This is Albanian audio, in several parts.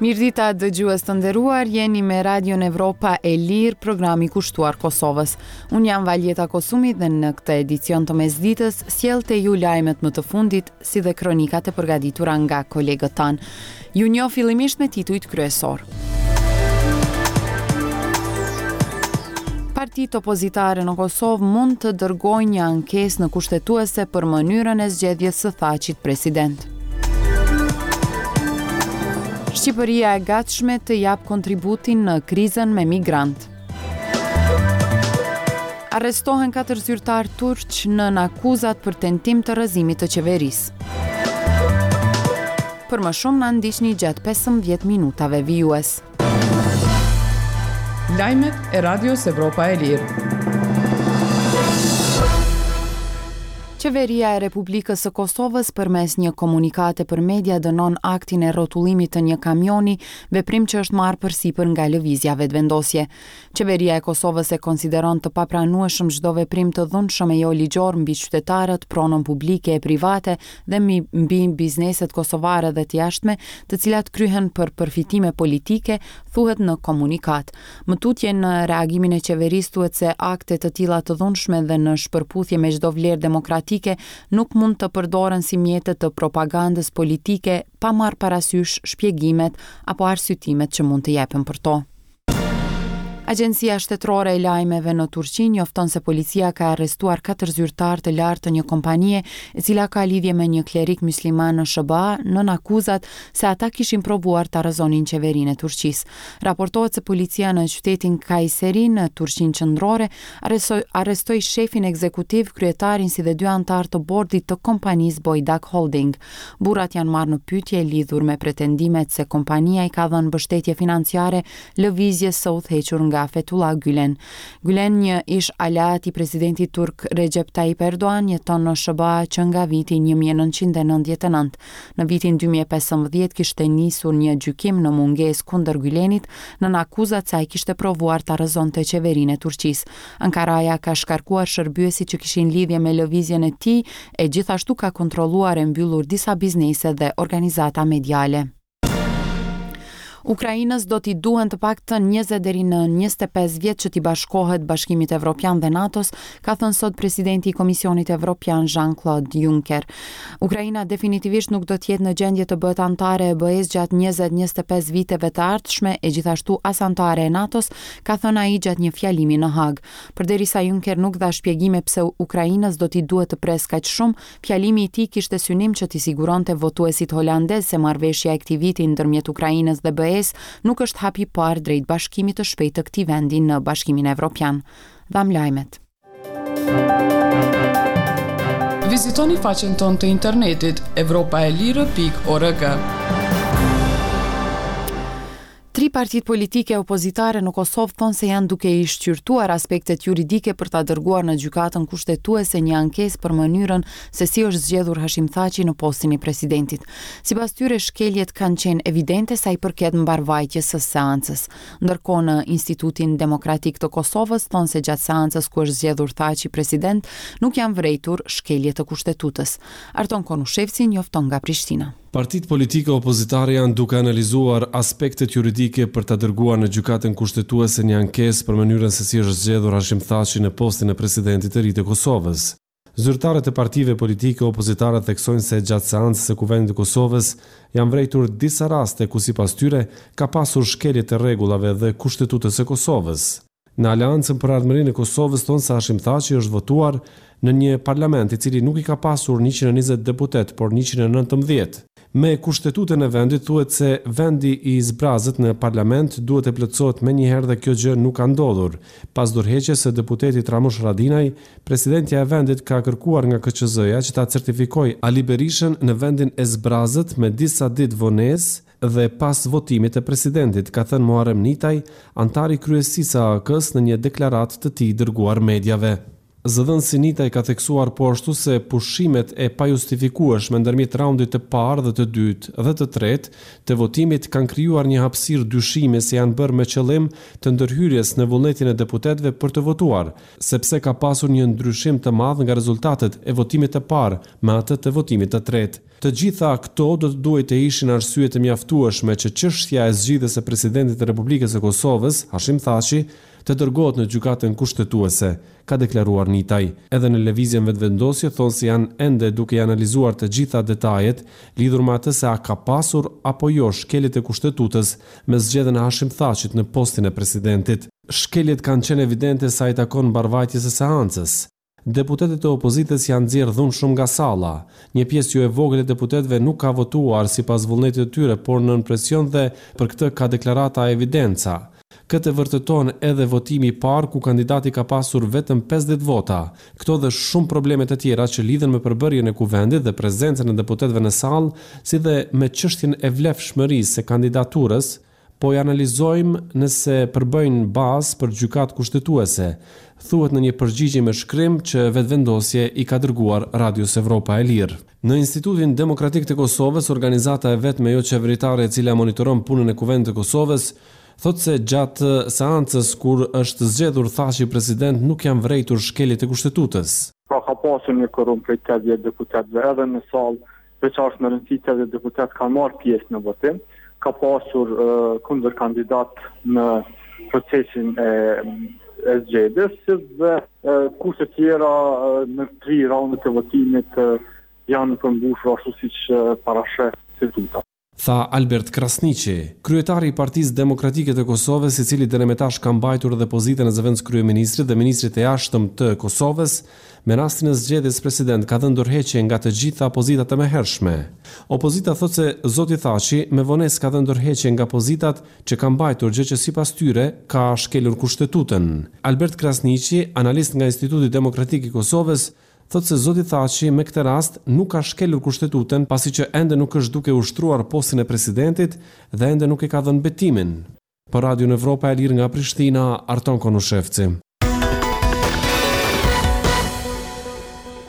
Mirëdita dëgjues të nderuar, jeni me Radion Evropa e Lirë, programi kushtuar Kosovës. Unë jam Valjeta Kosumi dhe në këtë edicion të mesditës sjell te ju lajmet më të fundit si dhe kronikat e përgatitura nga kolegët tanë. Ju njoh fillimisht me titujt kryesorë. Partitë opozitare në Kosovë mund të dërgojnë një ankesë në Kushtetuese për mënyrën e zgjedhjes së Thaçit president. Shqipëria e gatshme të japë kontributin në krizën me migrantë. Arrestohen katër zyrtarë turq nën akuzat për tentim të rrëzimit të qeverisë. Për më shumë na ndiqni gjatë 15 minutave vijues. Lajmet e Radios Evropa e Lirë. Qeveria e Republikës së Kosovës përmes një komunikate për media dënon aktin e rrotullimit të një kamioni, veprim që është marrë përsipër nga Lëvizja Vetëvendosje. Qeveria e Kosovës e konsideron të papranueshëm çdo veprim të dhunshëm e jo ligjor mbi qytetarët, pronën publike e private dhe mbi bizneset kosovare dhe të jashtme, të cilat kryhen për përfitime politike, thuhet në komunikatë. Më tutje në reagimin e qeverisë thuhet se akte të tilla të dhunshme dhe në shpërputhje me çdo vlerë demokratike nuk mund të përdoren si mjete të propagandës politike pa marrë parasysh shpjegimet apo arsyetimet që mund të jepen për to. Agjencia Shtetërore e Lajmeve në Turqi njofton se policia ka arrestuar katër zyrtarë të lartë të një kompanie e cila ka lidhje me një klerik mysliman në SHBA nën akuzat se ata kishin provuar ta rrëzonin qeverinë e Turqisë. Raportohet se policia në qytetin Kayseri në Turqinë qendrore arrestoi shefin ekzekutiv, kryetarin si dhe dy anëtarë të bordit të kompanisë Boydak Holding. Burrat janë marrë në pyetje lidhur me pretendimet se kompania i ka dhënë mbështetje financiare lëvizjes së udhëhequr nga Fethullah Gülen. Gülen, një ish-aleat i presidentit turk Recep Tayyip Erdogan, jeton në SHBA që nga viti 1999. Në vitin 2015 kishte nisur një gjykim në mungesë kundër Gülenit, nën akuzat se ai kishte provuar ta rrëzonte qeverinë e Turqisë. Ankaraja ka shkarkuar shërbyesit që kishin lidhje me lëvizjen e tij e gjithashtu ka kontrolluar e mbyllur disa biznese dhe organizata mediale. Ukrainës do t'i duhen të paktën 20 deri në 25 vjet që t'i bashkohet Bashkimit Evropian dhe NATO-s, ka thënë sot presidenti i Komisionit Evropian Jean-Claude Juncker. Ukraina definitivisht nuk do të jetë në gjendje të bëhet anëtare e BE-së gjatë 20-25 viteve të ardhshme e gjithashtu as anëtare e NATO-s, ka thënë ai gjatë një fjalimi në Hagë. Përderisa Juncker nuk dha shpjegime pse Ukrainës do t'i duhet të presë kaq shumë, Fjalimi i tij kishte synim që t'i siguronte votuesit holandezë se marrëveshja e këtij viti ndërmjet Ukrainës dhe BE-së nuk është hapi i parë drejt bashkimit të shpejtë të këtij vendi në Bashkimin Evropian. Dhamë lajmet. Vizitoni faqen tonë të internetit evropaelire.org. Tri partitë politike opozitare në Kosovë thonë se janë duke i shqyrtuar aspektet juridike për ta dërguar në Gjykatën Kushtetuese një ankesë për mënyrën se si është zgjedhur Hashim Thaçi në postin e presidentit. Sipas tyre, shkeljet kanë qenë evidente sa i përket mbarëvajtjes së seancës. Ndërkohë në Institutin Demokratik të Kosovës thonë se gjatë seancës ku është zgjedhur Thaçi president nuk janë vërejtur shkelje të Kushtetutës. Arton Konushevci njofton nga Prishtina. Partitë politike opozitare janë duke analizuar aspektet juridike për ta dërguar në Gjykatën Kushtetuese një ankesë për mënyrën se si është zgjedhur Hashim Thaçi në postin e presidentit të ri të Kosovës. Zyrtarët e partive politike opozitare theksojnë se gjatë seancës së Kuvendit të Kosovës janë vërejtur disa raste ku sipas tyre ka pasur shkelje të rregullave dhe Kushtetutës së Kosovës. Në Aleancën për Ardhmërinë e Kosovës thonë se Hashim Thaçi është votuar në një parlament i cili nuk i ka pasur 120 deputetë, por 119. Me Kushtetutën e vendit thuhet se vendi i zbrazët në parlament duhet të plotësohet menjëherë dhe kjo gjë nuk ka ndodhur. Pas dorëheqjes së deputetit Ramush Haradinaj, presidentja e vendit ka kërkuar nga KQZ-ja që ta certifikojë Ali Berishën në vendin e zbrazët me disa ditë vonesë, dhe pas votimit të presidentit, ka thënë Muharrem Nitaj, anëtar i kryesisë së AAK-së në një deklaratë të tij dërguar mediave. Zëdhënësi Nitaj ka theksuar po ashtu se pushimet e pajustifikueshme ndërmjet raundit të parë dhe të dytë dhe të tretë të votimit kanë krijuar një hapësirë dyshimi se janë bërë me qëllim të ndërhyrjes në vullnetin e deputetëve për të votuar, sepse ka pasur një ndryshim të madh nga rezultatet e votimit të parë me atë të votimit të tretë. Të gjitha këto do të duhej të ishin arsye të mjaftueshme që çështja e zgjedhjes së Presidentit të Republikës së Kosovës, Hashim Thaçi, të dërgohet në Gjykatën Kushtetuese, ka deklaruar Nitaj. Edhe në Lëvizjen Vetëvendosje thonë se janë ende duke i analizuar të gjitha detajet lidhur me atë se a ka pasur apo jo shkelje të Kushtetutës me zgjedhjen e Hashim Thaçit në postin e presidentit. Shkeljet kanë qenë evidente sa i takon mbarëvajtjes së seancës. Deputetët e opozitës janë nxjerrë dhunshëm nga salla. Një pjesë jo e vogël e deputetëve nuk ka votuar sipas vullnetit të tyre, por nën presion dhe për këtë ka deklarata e evidenca. Këtë e vërteton edhe votimi i parë ku kandidati ka pasur vetëm 50 vota. Këto dhe shumë probleme të tjera që lidhen me përbërjen e Kuvendit dhe prezencën e deputetëve në sallë, si dhe me çështjen e vlefshmërisë së kandidaturës, Po i analizojmë nëse përbëjnë bazë për Gjykatë Kushtetuese, thuhet në një përgjigje me shkrim që Vetëvendosje i ka dërguar Radios Evropa e Lirë. Në Institutin Demokratik të Kosovës, organizata e vetme joqeveritare e cila monitoron punën e Kuvendit të Kosovës, thotë se gjatë seancës kur është zgjedhur Thaçi president nuk janë vërejtur shkelje të Kushtetutës. Pra ka pasur një kuorum prej 80 deputetëve edhe në sallë Dhe ça është me rëndësi 80 deputetë kanë marrë pjesë në votim, ka pasur kundërkandidat në procesin e, e zgjedhjes, si dhe kushtet tjera në tri raundet e votimit janë përmbushur ashtu siç parasheh Kushtetuta. Tha Albert Krasniqi, kryetari i Partisë Demokratike të Kosovës, i cili deri me tash ka mbajtur edhe pozitën e zëvendëskryeministrit dhe ministrit të Jashtëm të Kosovës, Me rastin e zgjedhjes president ka dhënë dorëheqje nga të gjitha pozitat e mëhershme. Opozita thotë se zoti Thaçi me vonesë ka dhënë dorëheqje nga pozitat që ka mbajtur gjë që sipas tyre ka shkelur Kushtetutën. Albert Krasniqi, analist nga Instituti Demokratik i Kosovës, thotë se zoti Thaçi me këtë rast nuk ka shkelur Kushtetutën pasi që ende nuk është duke ushtruar postin e presidentit dhe ende nuk e ka dhënë betimin. Për Radion Evropa e Lirë nga Prishtina, Arton Konushevci.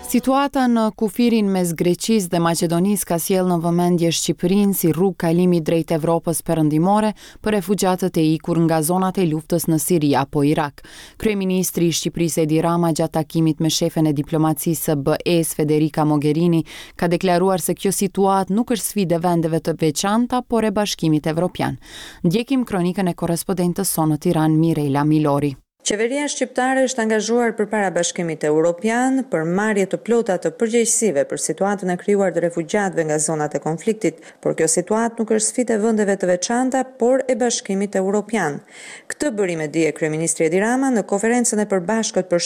Situata në kufirin mes Greqisë dhe Maqedonisë ka sjellë në vëmendje Shqipërinë si rrugë kalimi drejt Evropës Perëndimore për refugjatët e ikur nga zonat e luftës në Siri apo Irak. Kryeministri i Shqipërisë Edi Rama gjatë takimit me shefen e diplomacisë së BE-së Federica Mogherini ka deklaruar se kjo situatë nuk është sfidë e vendeve të veçanta, por e Bashkimit Evropian. Ndjekim kronikën e korrespondentes sonë në Tiranë, Mirela Milori. Qeveria shqiptare është angazhuar përpara Bashkimit Europian për marrje të plota të përgjegjësive për situatën e krijuar të refugjatëve nga zonat e konfliktit, por kjo situatë nuk është sfidë e vendeve të veçanta, por e Bashkimit Europian. Këtë bëri me dije kryeministri Edi Rama në konferencën e përbashkët për.